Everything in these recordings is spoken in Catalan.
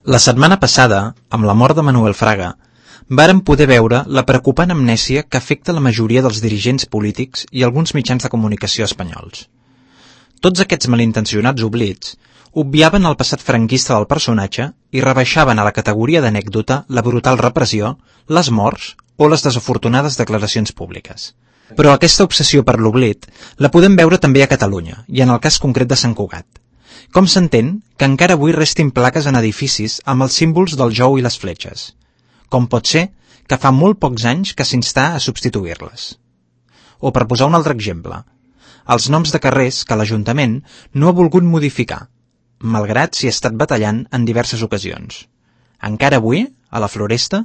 La setmana passada, amb la mort de Manuel Fraga, vàrem poder veure la preocupant amnèsia que afecta la majoria dels dirigents polítics i alguns mitjans de comunicació espanyols. Tots aquests malintencionats oblits obviaven el passat franquista del personatge i rebaixaven a la categoria d'anècdota la brutal repressió, les morts o les desafortunades declaracions públiques. Però aquesta obsessió per l'oblit la podem veure també a Catalunya, i en el cas concret de Sant Cugat. Com s'entén que encara avui restin plaques en edificis amb els símbols del jou i les fletxes? Com pot ser que fa molt pocs anys que s'instà a substituir-les? O per posar un altre exemple, els noms de carrers que l'Ajuntament no ha volgut modificar, malgrat s'hi ha estat batallant en diverses ocasions. Encara avui, a la Floresta,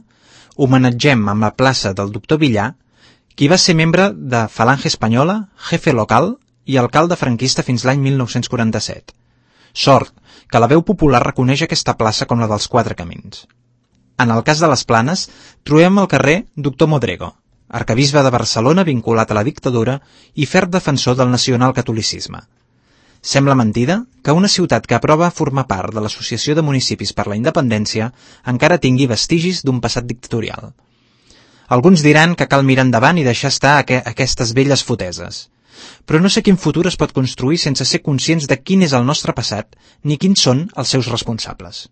homenatgem amb la plaça del Doctor Villar, qui va ser membre de Falange Espanyola, jefe local i alcalde franquista fins l'any 1947. Sort que la veu popular reconeix aquesta plaça com la dels Quatre Camins. En el cas de les Planes, trobem al carrer Doctor Modrego, arquebisbe de Barcelona vinculat a la dictadura i ferm defensor del nacionalcatolicisme. Sembla mentida que una ciutat que aprova formar part de l'Associació de Municipis per la Independència encara tingui vestigis d'un passat dictatorial. Alguns diran que cal mirar endavant i deixar estar aquestes velles foteses. Però no sé quin futur es pot construir sense ser conscients de quin és el nostre passat ni quins són els seus responsables.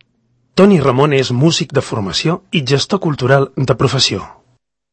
Toni Ramon és músic de formació i gestor cultural de professió.